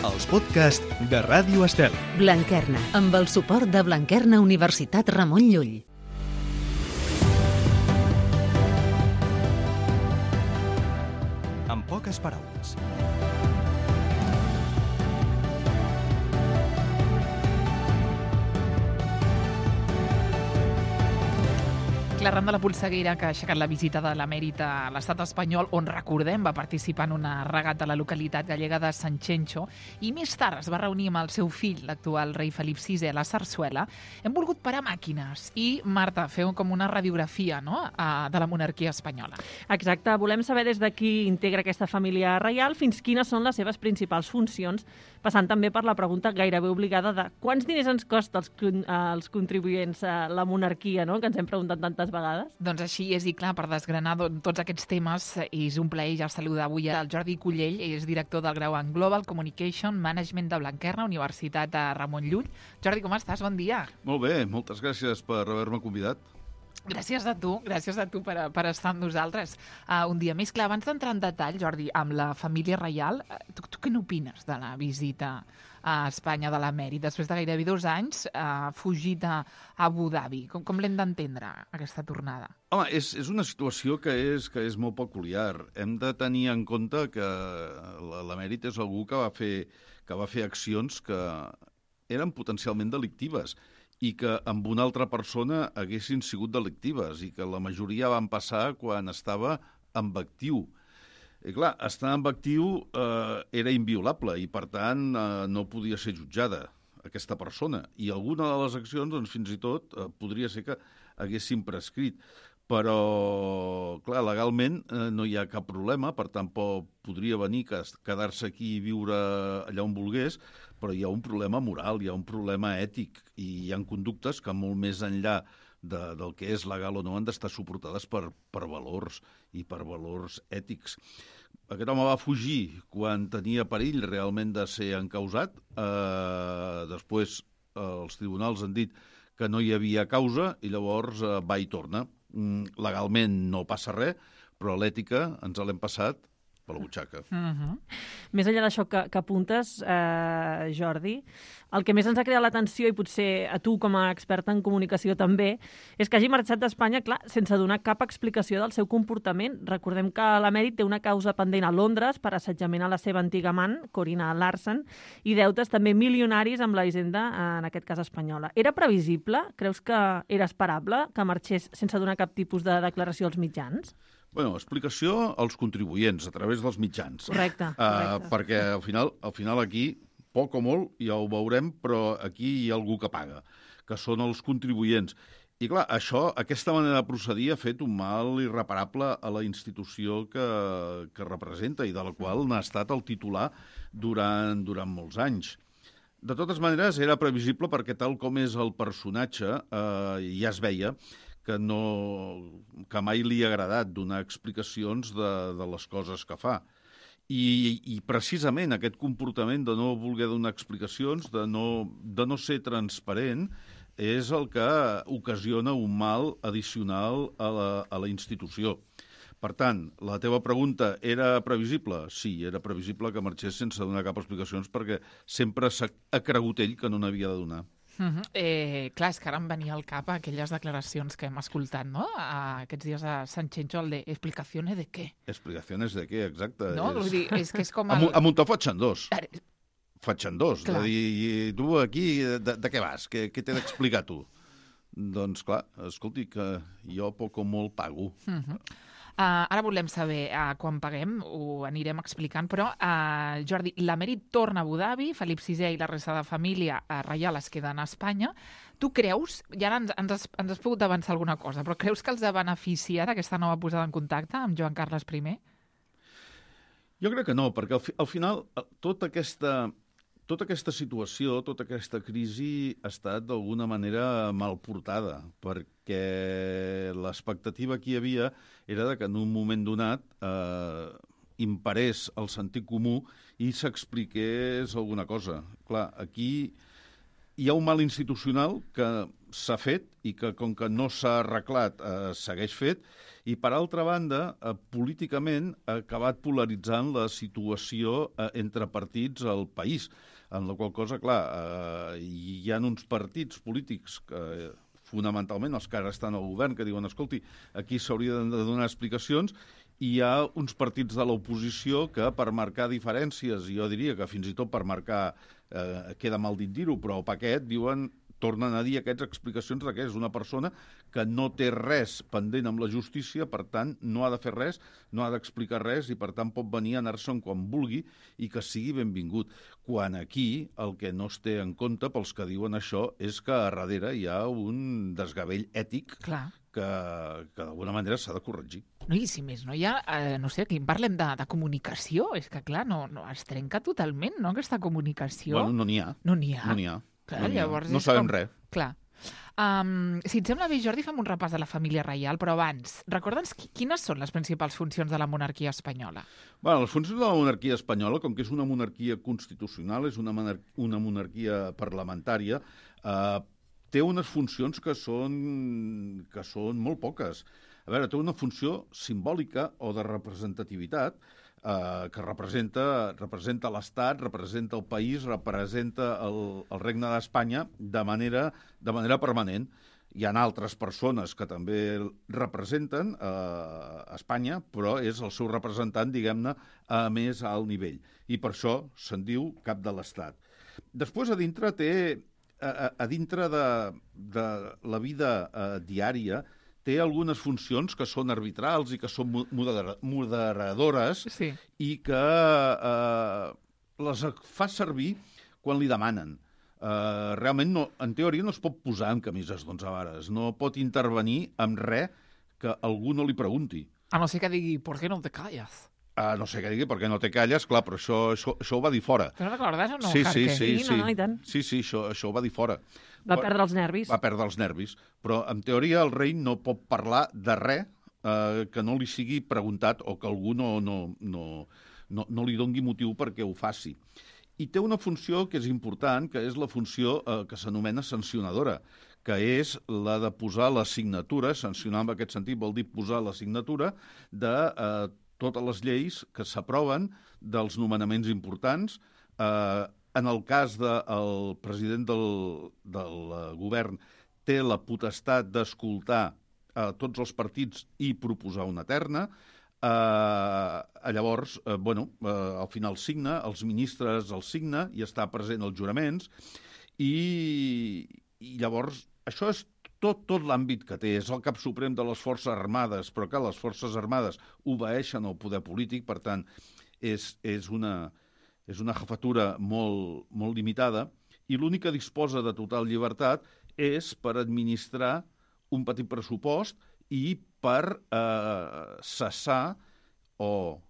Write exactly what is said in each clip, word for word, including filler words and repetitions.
els podcasts de Ràdio Estel. Blanquerna, amb el suport de Blanquerna Universitat Ramon Llull. En poques paraules. L'arran de la polseguera que ha aixecat la visita de l'emèrit a l'estat espanyol, on, recordem, va participar en una regata a la localitat gallega de Sanxenxo, i més tard es va reunir amb el seu fill, l'actual rei Felip sisè, a la Sarsuela. Hem volgut parar màquines i, Marta, feu com una radiografia, no?, de la monarquia espanyola. Exacte. Volem saber des de qui integra aquesta família reial fins quines són les seves principals funcions, passant també per la pregunta gairebé obligada de quants diners ens costa als, als contribuents a la monarquia, no?, que ens hem preguntat tantes vegades. Doncs així és, i clar, per desgranar tots aquests temes, és un plaer ja saludar avui el Jordi Cullell, és director del grau en Global Communication Management de Blanquerna, Universitat de Ramon Llull. Jordi, com estàs? Bon dia. Molt bé, moltes gràcies per haver-me convidat. Gràcies a tu, gràcies a tu per, per estar amb nosaltres uh, un dia més. Clar, abans d'entrar en detall, Jordi, amb la família reial, tu, tu què n'opines de la visita a Espanya de l'emèrit? Després de gairebé dos anys, uh, fugit a Abu Dhabi. Com, com l'hem d'entendre, aquesta tornada? Home, és, és una situació que és, que és molt peculiar. Hem de tenir en compte que l'emèrit és algú que va fer, que va fer accions que eren potencialment delictives i que amb una altra persona haguessin sigut delictives i que la majoria van passar quan estava amb actiu. I clar, estar amb actiu eh, era inviolable i, per tant, eh, no podia ser jutjada aquesta persona. I alguna de les accions, doncs, fins i tot, eh, podria ser que haguessin prescrit. Però, clar, legalment eh, no hi ha cap problema, per tant, podria venir, quedar-se aquí i viure allà on volgués, però hi ha un problema moral, hi ha un problema ètic, i hi ha conductes que molt més enllà de, del que és legal o no han d'estar suportades per, per valors i per valors ètics. Aquest home va fugir quan tenia perill realment de ser encausat. Eh, després eh, els tribunals han dit que no hi havia causa i llavors eh, va i torna. Mm, legalment no passa res, però l'ètica ens l'hem passat per la butxaca. Uh-huh. Més enllà d'això que, que apuntes, eh, Jordi, el que més ens ha creat l'atenció, i potser a tu com a experta en comunicació també, és que hagi marxat d'Espanya, clar, sense donar cap explicació del seu comportament. Recordem que l'emèrit té una causa pendent a Londres per assetjament a la seva antiga amant, Corina Larsen, i deutes també milionaris amb la Hisenda, en aquest cas espanyola. Era previsible? Creus que era esperable que marxés sense donar cap tipus de declaració als mitjans? Bueno, explicació als contribuents a través dels mitjans. Correcte, correcte. Uh, perquè al final, al final aquí, poc o molt, ja ho veurem, però aquí hi ha algú que paga, que són els contribuents. I clar, això, aquesta manera de procedir ha fet un mal irreparable a la institució que, que representa i de la qual n'ha estat el titular durant, durant molts anys. De totes maneres, era previsible perquè tal com és el personatge, eh, ja es veia que, no, que mai li ha agradat donar explicacions de, de les coses que fa. I, I precisament aquest comportament de no voler donar explicacions, de no, de no ser transparent, és el que ocasiona un mal addicional a la, a la institució. Per tant, la teva pregunta era previsible? Sí, era previsible que marxés sense donar cap explicacions perquè sempre s'ha ha cregut ell que no n'havia de donar. Uh-huh. eh, clar, és que ara em venia al cap aquelles declaracions que hem escoltat, no?, a, aquests dies a Sanxenxo, el de explicaciones de què? Explicaciones de què, exacte. No, és... Vull dir, és que és com el... A, a Montafort faig dos. Faig dos. Clar. De dir, i tu aquí, de, de què vas? Què, què t'he d'explicar tu? Doncs clar, escolti, que jo poc o molt pago. Uh-huh. Uh, ara volem saber uh, quan paguem, ho anirem explicant, però, uh, Jordi, l'emèrit torna a Abu Dhabi, Felip sisè i la resta de família uh, reial es queden a Espanya. Tu creus, i ara ens, ens, has, ens has pogut avançar alguna cosa, però creus que els ha beneficiat aquesta nova posada en contacte amb Joan Carles primer? Jo crec que no, perquè al, fi, al final tota aquesta, tota aquesta situació, tota aquesta crisi ha estat d'alguna manera mal portada, perquè l'expectativa que hi havia era de que en un moment donat eh, imparés el sentit comú i s'expliqués alguna cosa. Clar, aquí hi ha un mal institucional que s'ha fet i que, com que no s'ha arreglat, eh, segueix fet, i, per altra banda, eh, políticament ha acabat polaritzant la situació eh, entre partits al país, en la qual cosa, clar, eh, hi ha uns partits polítics que, eh, fonamentalment, els que ara estan al govern, que diuen, escolti, aquí s'hauria de donar explicacions, i hi ha uns partits de l'oposició que, per marcar diferències, i jo diria que fins i tot per marcar, eh, queda mal dit dir-ho, però el paquet, diuen, tornen a dir aquestes explicacions de que és una persona que no té res pendent amb la justícia, per tant, no ha de fer res, no ha d'explicar res, i per tant pot venir a anar-se'n quan vulgui i que sigui benvingut. Quan aquí el que no es té en compte pels que diuen això és que a darrere hi ha un desgavell ètic Clar. que, que d'alguna manera s'ha de corregir. No, i si més no hi ha, eh, no sé, aquí en parlem de, de comunicació, és que clar, no, no es trenca totalment, no?, aquesta comunicació. Bueno, no n'hi ha. No n'hi ha. No n'hi ha. Clar, no, llavors no és sabem com... res. Clar. Um, si et sembla bé, Jordi, fem un repàs de la família reial, però abans, recorda'ns qui, quines són les principals funcions de la monarquia espanyola? Bueno, les funcions de la monarquia espanyola, com que és una monarquia constitucional, és una, monar una monarquia parlamentària, eh, té unes funcions que són, que són molt poques. A veure, té una funció simbòlica o de representativitat, eh, que representa, representa l'Estat, representa el país, representa el, el regne d'Espanya de manera, de manera permanent. Hi ha altres persones que també representen eh, Espanya, però és el seu representant, diguem-ne, a més alt nivell. I per això se'n diu cap de l'Estat. Després, a dintre, té, a, a dintre de, de la vida eh, diària, té algunes funcions que són arbitrals i que són modera moderadores sí. i que eh, les fa servir quan li demanen. Uh, realment, no, en teoria, no es pot posar en camises d'onze vares. No pot intervenir amb res que algú no li pregunti. A no ser que digui, ¿por qué no te callas? A no sé què digui, perquè no te calles, clar, però això, això, això ho va dir fora. Te'n recordes o no, sí, sí, Jarque? sí, Sí, sí, no, no, i tant. sí, sí, això, això ho va dir fora. Va perdre els nervis. Va perdre els nervis. Però, en teoria, el rei no pot parlar de res eh, que no li sigui preguntat o que algú no, no, no, no, no li dongui motiu perquè ho faci. I té una funció que és important, que és la funció eh, que s'anomena sancionadora, que és la de posar la signatura, sancionar en aquest sentit vol dir posar la signatura de eh, totes les lleis que s'aproven dels nomenaments importants. Eh, en el cas del president del, del govern té la potestat d'escoltar eh, tots els partits i proposar una terna. Uh, llavors, uh, bueno, uh, al final signa, els ministres el signa i està present als juraments i, i llavors això és tot, tot l'àmbit que té. És el cap suprem de les Forces Armades, però que les Forces Armades obeeixen al poder polític, per tant, és, és, una, és una jefatura molt, molt limitada i l'únic que disposa de total llibertat és per administrar un petit pressupost i per eh, cessar o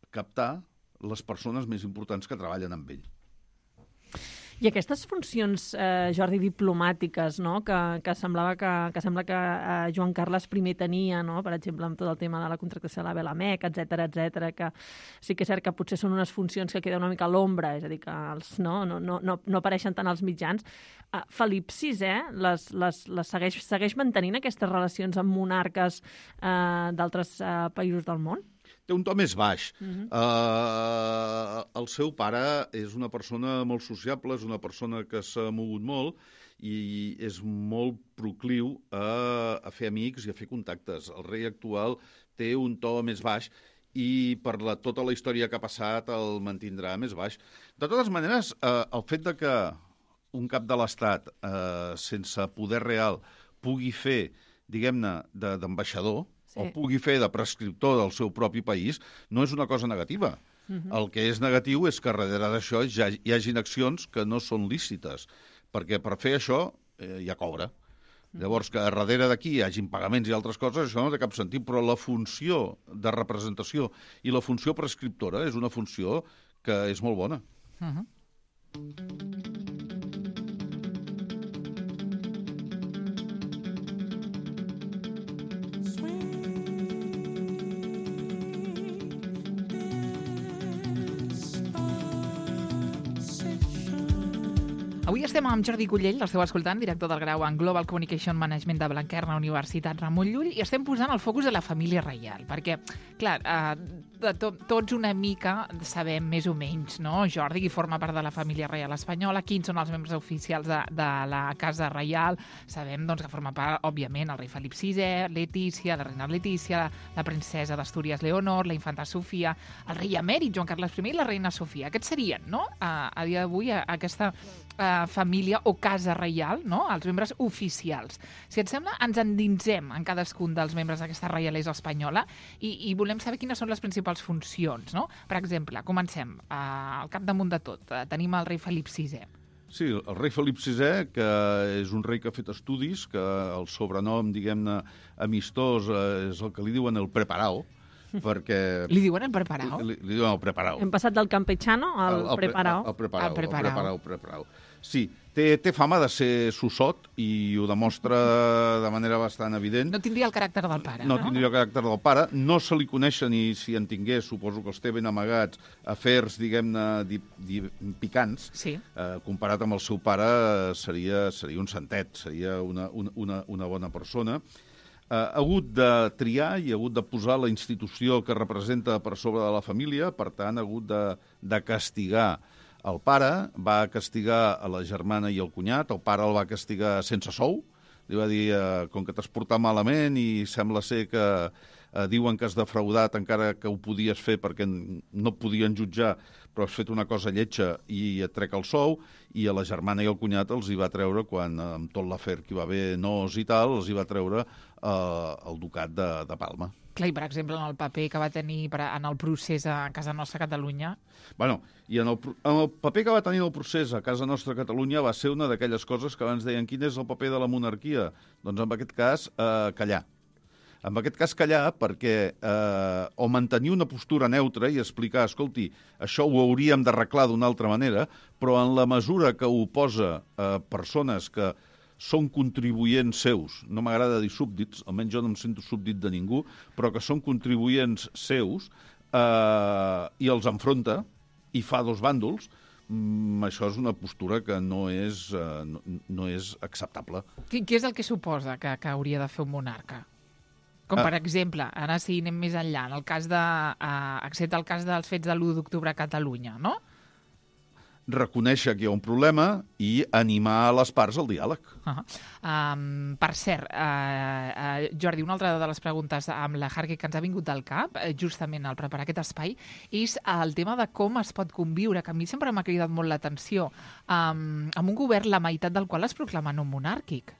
captar les persones més importants que treballen amb ell. I aquestes funcions, eh, Jordi, diplomàtiques, no?, que, que semblava que, que sembla que eh, Joan Carles primer tenia, no?, per exemple, amb tot el tema de la contractació de la Belamec, etcètera, etcètera, que sí que és cert que potser són unes funcions que queden una mica a l'ombra, és a dir, que els, no, no, no, no, no apareixen tant als mitjans. Uh, Felip sisè les, les, les segueix, segueix mantenint aquestes relacions amb monarques eh, d'altres eh, països del món? Té un to més baix. Uh-huh. uh, el seu pare és una persona molt sociable, és una persona que s'ha mogut molt i és molt procliu a, a fer amics i a fer contactes. El rei actual té un to més baix i per la, tota la història que ha passat el mantindrà més baix. De totes maneres, uh, el fet de que un cap de l'Estat uh, sense poder real pugui fer, diguem-ne, d'ambaixador, sí, o pugui fer de prescriptor del seu propi país, no és una cosa negativa. Uh-huh. El que és negatiu és que darrere d'això ja hi hagin accions que no són lícites, perquè per fer això eh, hi ha cobra. Uh-huh. Llavors, que darrere d'aquí hi hagin pagaments i altres coses, això no té cap sentit, però la funció de representació i la funció prescriptora és una funció que és molt bona. Uh-huh. Avui estem amb Jordi Cullell, l'esteu escoltant, director del grau en Global Communication Management de Blanquerna, Universitat Ramon Llull, i estem posant el focus a la família reial, perquè, clar, eh, de to tots una mica sabem més o menys, no? Jordi, qui forma part de la família reial espanyola, quins són els membres oficials de, de la Casa Reial, sabem doncs, que forma part, òbviament, el rei Felip sisè, Letícia, la reina Letícia, la, la princesa d'Astúries Leonor, la infanta Sofia, el rei emèrit Joan Carles primer i la reina Sofia. Aquests serien, no?, a, a dia d'avui, aquesta a, família o casa reial, no?, els membres oficials. Si et sembla, ens endinsem en cadascun dels membres d'aquesta reialesa espanyola i, i volem saber quines són les principals funcions, no? Per exemple, comencem uh, al capdamunt de tot. Uh, tenim el rei Felip sisè. Sí, el rei Felip sisè, que és un rei que ha fet estudis, que el sobrenom, diguem-ne, amistós, eh, és el que li diuen el preparao, perquè... Li diuen el preparao? Li, li diuen el preparao. Hem passat del campechano al el, el, preparao. El, el preparao, el preparao. El preparao, preparao. Sí, té, té fama de ser sossot i ho demostra de manera bastant evident. No tindria el caràcter del pare, no? No tindria el caràcter del pare. No se li coneixen, i si en tingués, suposo que els té ben amagats, afers, diguem-ne, picants. Sí. Eh, comparat amb el seu pare, seria, seria un santet, seria una, una, una bona persona. Uh, ha hagut de triar i ha hagut de posar la institució que representa per sobre de la família, per tant, ha hagut de, de castigar el pare, va castigar a la germana i el cunyat, el pare el va castigar sense sou, li va dir, uh, com que t'has portat malament i sembla ser que uh, diuen que has defraudat encara que ho podies fer perquè no et podien jutjar, però has fet una cosa lletja i et trec el sou, i a la germana i el cunyat els hi va treure, quan amb tot l'afer que hi va haver nos i tal, els hi va treure Uh, el ducat de, de Palma. Clar, i per exemple, en el paper que va tenir per, en el procés a Casa Nostra Catalunya... Bueno, i en el, en el paper que va tenir el procés a Casa Nostra Catalunya va ser una d'aquelles coses que abans deien quin és el paper de la monarquia? Doncs en aquest cas, eh, callar. En aquest cas, callar perquè eh, o mantenir una postura neutra i explicar, escolti, això ho hauríem d'arreglar d'una altra manera, però en la mesura que ho posa eh, persones que són contribuents seus, no m'agrada dir súbdits, almenys jo no em sento súbdit de ningú, però que són contribuents seus, eh, i els enfronta i fa dos bàndols, mm, això és una postura que no és, eh, no, no és acceptable. Què, què és el que suposa que, que hauria de fer un monarca? Com, per ah. exemple, ara sí, anem més enllà, en el cas de, uh, excepte el cas dels fets de l'u d'octubre a Catalunya, no? Reconèixer que hi ha un problema i animar les parts al diàleg. Uh -huh. um, per cert, uh, uh, Jordi, una altra de les preguntes amb la Harke que ens ha vingut del cap, uh, justament al preparar aquest espai, és el tema de com es pot conviure, que a mi sempre m'ha cridat molt l'atenció, um, amb un govern la meitat del qual es proclama no monàrquic.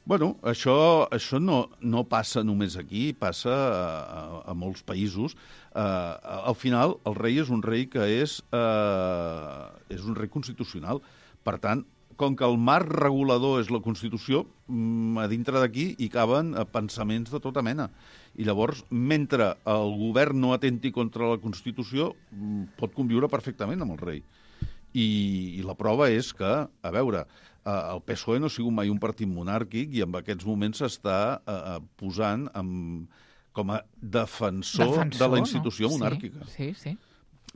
Bueno, això, això no, no passa només aquí, passa a, a, a molts països. Uh, al final, el rei és un rei que és, uh, és un rei constitucional. Per tant, com que el marc regulador és la Constitució, a dintre d'aquí hi caben pensaments de tota mena. I llavors, mentre el govern no atenti contra la Constitució, pot conviure perfectament amb el rei. I, i la prova és que, a veure, el P S O E no ha sigut mai un partit monàrquic i en aquests moments s'està eh, posant amb, com a defensor, defensor de la institució no? monàrquica. Sí, sí, sí.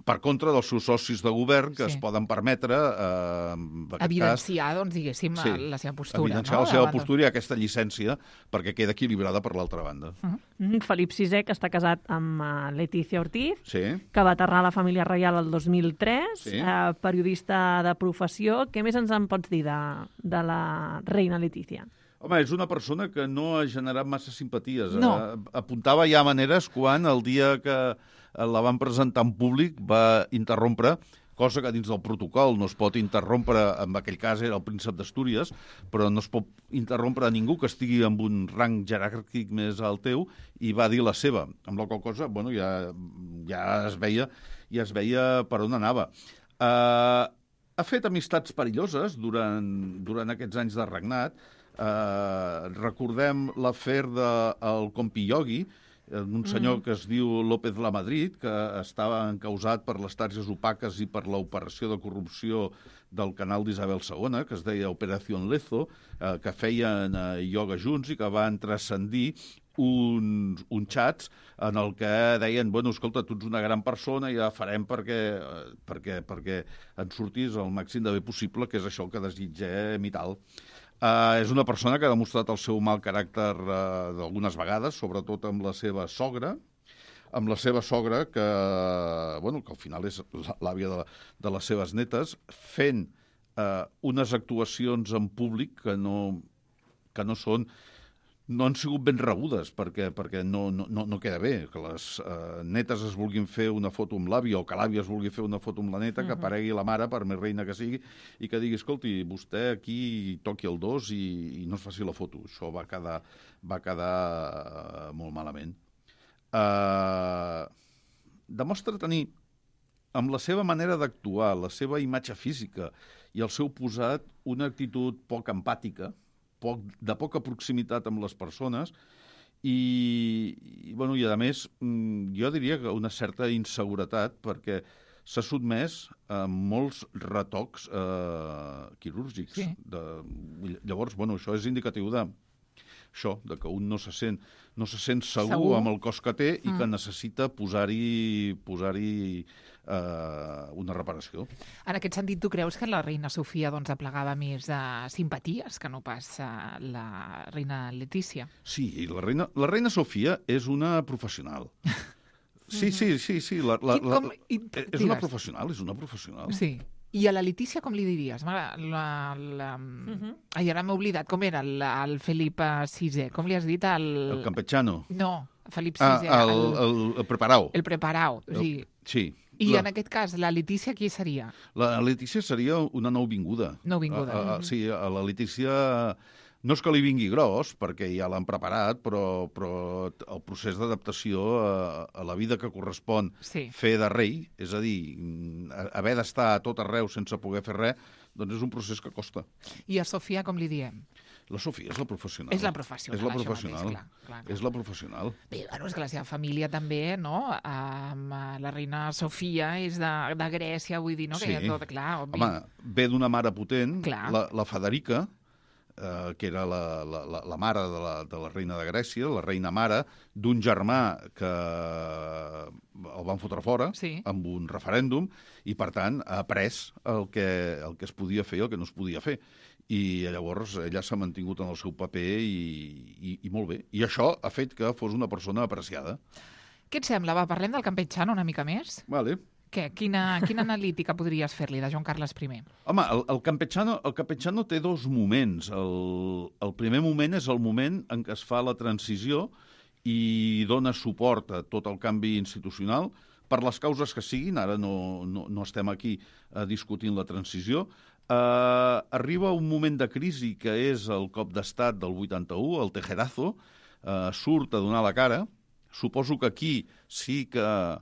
Per contra dels seus socis de govern que sí. es poden permetre eh, evidenciar, cas, doncs, diguéssim, sí, la seva postura. Evidenciar no? la seva postura i aquesta llicència perquè queda equilibrada per l'altra banda. Uh -huh. Felip sisè, que està casat amb uh, Letícia Ortiz, sí. que va aterrar a la família reial el dos mil tres, sí. eh, periodista de professió. Què més ens en pots dir de, de la reina Letícia? Home, és una persona que no ha generat massa simpaties. No. Eh, apuntava ja maneres quan el dia que la van presentar en públic va interrompre, cosa que dins del protocol no es pot interrompre, en aquell cas era el príncep d'Astúries, però no es pot interrompre a ningú que estigui amb un rang jeràrquic més al teu, i va dir la seva, amb la qual cosa, bueno, ja, ja es veia ja es veia per on anava. Uh, ha fet amistats perilloses durant, durant aquests anys de regnat. Uh, recordem l'afer del Compi Iogui, un senyor mm. que es diu López Lamadrid, que estava encausat per les tàrgeres opaques i per l'operació de corrupció del canal d'Isabel segona, que es deia Operació Lezo, eh, que feien eh, ioga junts i que van transcendir uns, uns xats en el que deien, bueno, escolta, tu ets una gran persona i ja farem perquè, perquè, perquè en surtis el màxim de bé possible, que és això que desitgem i tal. Uh, és una persona que ha demostrat el seu mal caràcter uh, d'algunes vegades, sobretot amb la seva sogra, amb la seva sogra, que, bueno, que al final és l'àvia de, de les seves netes, fent uh, unes actuacions en públic que no, que no són no han sigut ben rebudes, perquè, perquè no, no, no queda bé que les uh, netes es vulguin fer una foto amb l'àvia o que l'àvia es vulgui fer una foto amb la neta, uh-huh. que aparegui la mare, per més reina que sigui, i que digui, escolti, vostè aquí toqui el dos i, i no es faci la foto. Això va quedar, va quedar uh, molt malament. Uh, demostra tenir, amb la seva manera d'actuar, la seva imatge física i el seu posat, una actitud poc empàtica, poc, de poca proximitat amb les persones i, i, bueno, i a més, jo diria que una certa inseguretat perquè s'ha sotmès a molts retocs eh, quirúrgics. Sí. De, llavors, bueno, això és indicatiu de això, de que un no se sent, no se sent segur, segur amb el cos que té i mm. que necessita posar-hi posar-hi eh, una reparació. En aquest sentit, tu creus que la reina Sofia doncs, aplegava més de simpaties que no pas eh, la reina Letícia? Sí, la reina, la reina Sofia és una professional. Sí, sí, sí, sí. La, la, la, com, i, és una professional, és una professional. Sí. I a la Letícia com li diries? La, la, la... Uh-huh. Ai, ara m'he oblidat. Com era el, el Felip sisè? Com li has dit? El, el campechano. No, Felip sisè. Ah, el, el, el preparau. El preparau, o sigui... Sí. I la... en aquest cas, la Letícia qui seria? La Letícia seria una nouvinguda. Nouvinguda. A, a, uh-huh. Sí, a la Letícia... No és que li vingui gros, perquè ja l'han preparat, però, però el procés d'adaptació a, a la vida que correspon sí. fer de rei, és a dir, haver d'estar a tot arreu sense poder fer res, doncs és un procés que costa. I a Sofia com li diem? La Sofia és la professional. És la professional, és la professional. Mateix, clar, clar, clar. És la professional. Bé, bueno, és que la seva família també, no? Um, la reina Sofia és de, de Grècia, vull dir, no? Sí. Que hi ha tot, clar, obvi. Home, ve d'una mare potent, clar. la, la Federica, eh, que era la, la, la mare de la, de la reina de Grècia, la reina mare, d'un germà que el van fotre fora sí. amb un referèndum i, per tant, ha après el que, el que es podia fer i el que no es podia fer. I llavors ella s'ha mantingut en el seu paper i, i, i molt bé. I això ha fet que fos una persona apreciada. Què et sembla? Va, parlem del campechano una mica més? Vale. Què? Quina, quina analítica podries fer-li de Joan Carles I? Home, el, el, campechano, el campechano té dos moments. El, el primer moment és el moment en què es fa la transició i dona suport a tot el canvi institucional per les causes que siguin. Ara no, no, no estem aquí eh, discutint la transició. Uh, arriba un moment de crisi que és el cop d'estat del vuitanta-u, el tejerazo, uh, surt a donar la cara. Suposo que aquí sí que uh,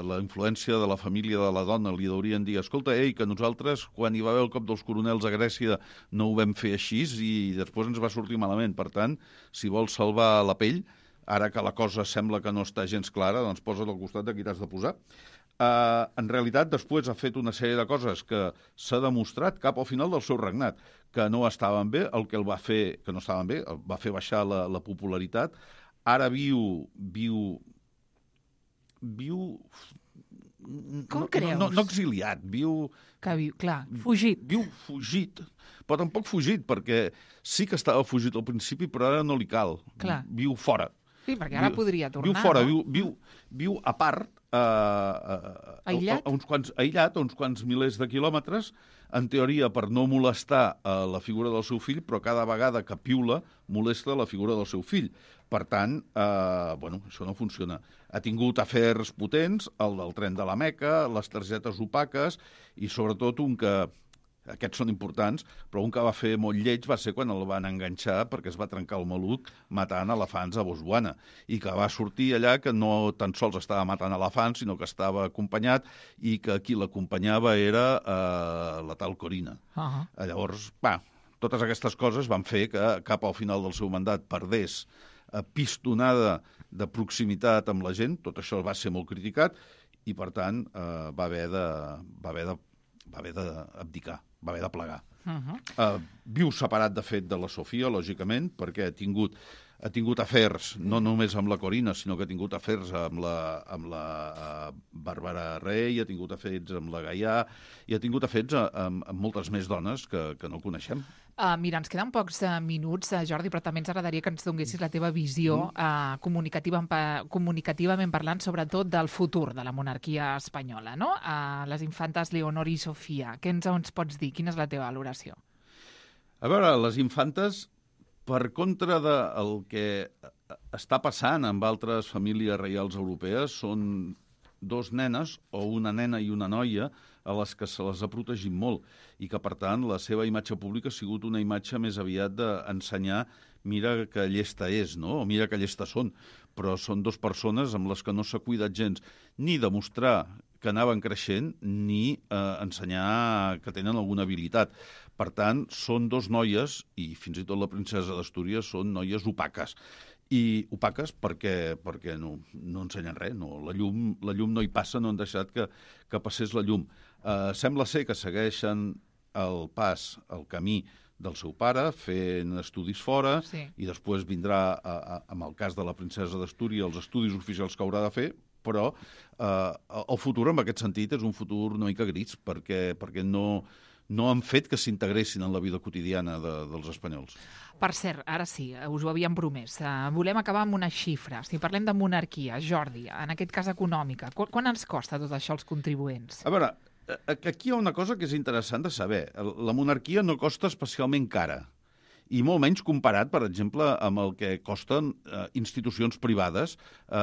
la influència de la família de la dona li haurien dir, escolta, ei, que nosaltres quan hi va haver el cop dels coronels a Grècia no ho vam fer així i després ens va sortir malament. Per tant, si vols salvar la pell, ara que la cosa sembla que no està gens clara, doncs posa't al costat de qui t'has de posar. Uh, en realitat, després ha fet una sèrie de coses que s'ha demostrat cap al final del seu regnat, que no estaven bé, el que el va fer, que no estaven bé, el va fer baixar la, la popularitat. Ara viu... viu... viu... Com no, creus? No, no exiliat, viu... Que viu, clar, fugit. Viu fugit, però tampoc fugit, perquè sí que estava fugit al principi, però ara no li cal. Clar. Viu fora. Sí, perquè ara viu, podria tornar, Viu fora, no? viu, viu, viu a part, uh, uh, aïllat? A, a uns quants, aïllat, a uns quants milers de quilòmetres, en teoria per no molestar uh, la figura del seu fill, però cada vegada que piula molesta la figura del seu fill. Per tant, uh, bueno, això no funciona. Ha tingut afers potents, el del tren de la Meca, les targetes opaques i sobretot un que... Aquests són importants, però un que va fer molt lleig va ser quan el van enganxar perquè es va trencar el maluc matant elefants a Botswana i que va sortir allà que no tan sols estava matant elefants, sinó que estava acompanyat i que qui l'acompanyava era eh, la tal Corina. Uh-huh. Llavors, va, totes aquestes coses van fer que cap al final del seu mandat perdés eh, pistonada de proximitat amb la gent, tot això va ser molt criticat i, per tant, eh, va haver de... Va haver de va haver d'abdicar, va haver de plegar. Uh-huh. Uh, viu separat, de fet, de la Sofia, lògicament, perquè ha tingut ha tingut afers, no només amb la Corina, sinó que ha tingut afers amb la, amb la Bàrbara Rey, ha tingut afers amb la Gaià, i ha tingut afers amb, amb moltes més dones que, que no coneixem. Uh, mira, ens queden pocs uh, minuts, uh, Jordi, però també ens agradaria que ens donessis la teva visió uh, comunicativa, comunicativament parlant, sobretot del futur de la monarquia espanyola, no? Uh, les infantes Leonor i Sofia. Què ens, ens pots dir? Quina és la teva valoració? A veure, les infantes, per contra del que està passant amb altres famílies reials europees, són dos nenes o una nena i una noia a les que se les ha protegit molt i que, per tant, la seva imatge pública ha sigut una imatge més aviat d'ensenyar mira que llesta és, no? O mira que llesta són. Però són dues persones amb les que no s'ha cuidat gens ni demostrar que anaven creixent ni eh, ensenyar que tenen alguna habilitat. Per tant, són dos noies, i fins i tot la princesa d'Astúries, són noies opaques. I opaques perquè, perquè no, no ensenyen res, no. La, llum, la llum no hi passa, no han deixat que, que passés la llum. Eh, sembla ser que segueixen el pas, el camí del seu pare, fent estudis fora, sí. I després vindrà, a, a, amb el cas de la princesa d'Astúries, els estudis oficials que haurà de fer, però eh, el futur en aquest sentit és un futur una mica gris, perquè, perquè no... no han fet que s'integressin en la vida quotidiana de, dels espanyols. Per cert, ara sí, us ho havíem promès. Uh, volem acabar amb una xifra. Si parlem de monarquia, Jordi, en aquest cas econòmica, qu quan ens costa tot això als contribuents? A veure, aquí hi ha una cosa que és interessant de saber. La monarquia no costa especialment cara, i molt menys comparat, per exemple, amb el que costen eh, institucions privades eh,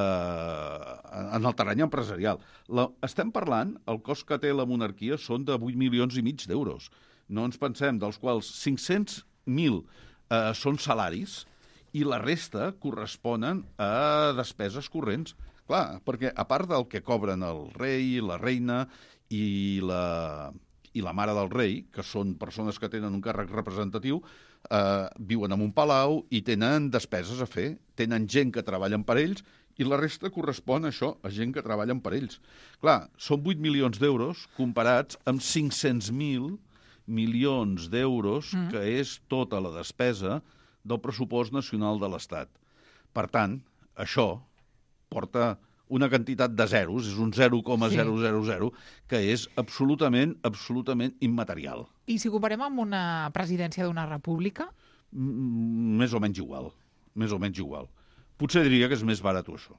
en el terreny empresarial. La, estem parlant, el cost que té la monarquia són de vuit milions i mig d'euros. No ens pensem, dels quals cinc-cents mil eh, són salaris i la resta corresponen a despeses corrents. Clar, perquè a part del que cobren el rei, la reina i la, i la mare del rei, que són persones que tenen un càrrec representatiu, Uh, viuen en un palau i tenen despeses a fer, tenen gent que treballen per ells i la resta correspon a això, a gent que treballen per ells. Clar, són vuit milions d'euros comparats amb cinc-cents mil milions d'euros, mm. que és tota la despesa del pressupost nacional de l'Estat. Per tant, això porta una quantitat de zeros, és un zero coma zero zero zero, que és absolutament, absolutament immaterial. I si comparem amb una presidència d'una república? Mm, més o menys igual, més o menys igual. Potser diria que és més barat això.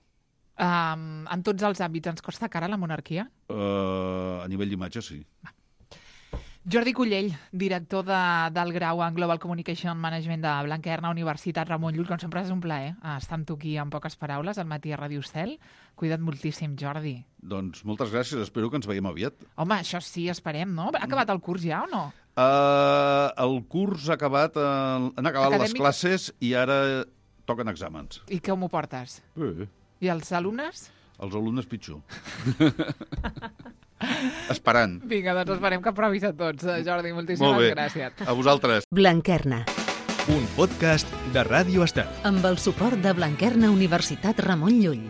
Um, en tots els àmbits ens costa cara la monarquia? Uh, a nivell d'imatge, sí. Va. Jordi Cullell, director de, del grau en Global Communication Management de Blanquerna, Universitat Ramon Llull, com sempre és un plaer estar amb tu aquí en poques paraules, al matí a Ràdio Estel. Cuida't moltíssim, Jordi. Doncs moltes gràcies, espero que ens veiem aviat. Home, això sí, esperem, no? Ha acabat el curs ja o no? Uh, el curs ha acabat, uh, han acabat Acadèmic? Les classes i ara toquen exàmens. I com ho portes? Bé. I els alumnes? Els alumnes pitjor. Esperant. Vinga, doncs esperem que provis a tots. Jordi, moltíssimes gràcies. A vosaltres. Blanquerna. Un podcast de Ràdio Estel. Amb el suport de Blanquerna Universitat Ramon Llull.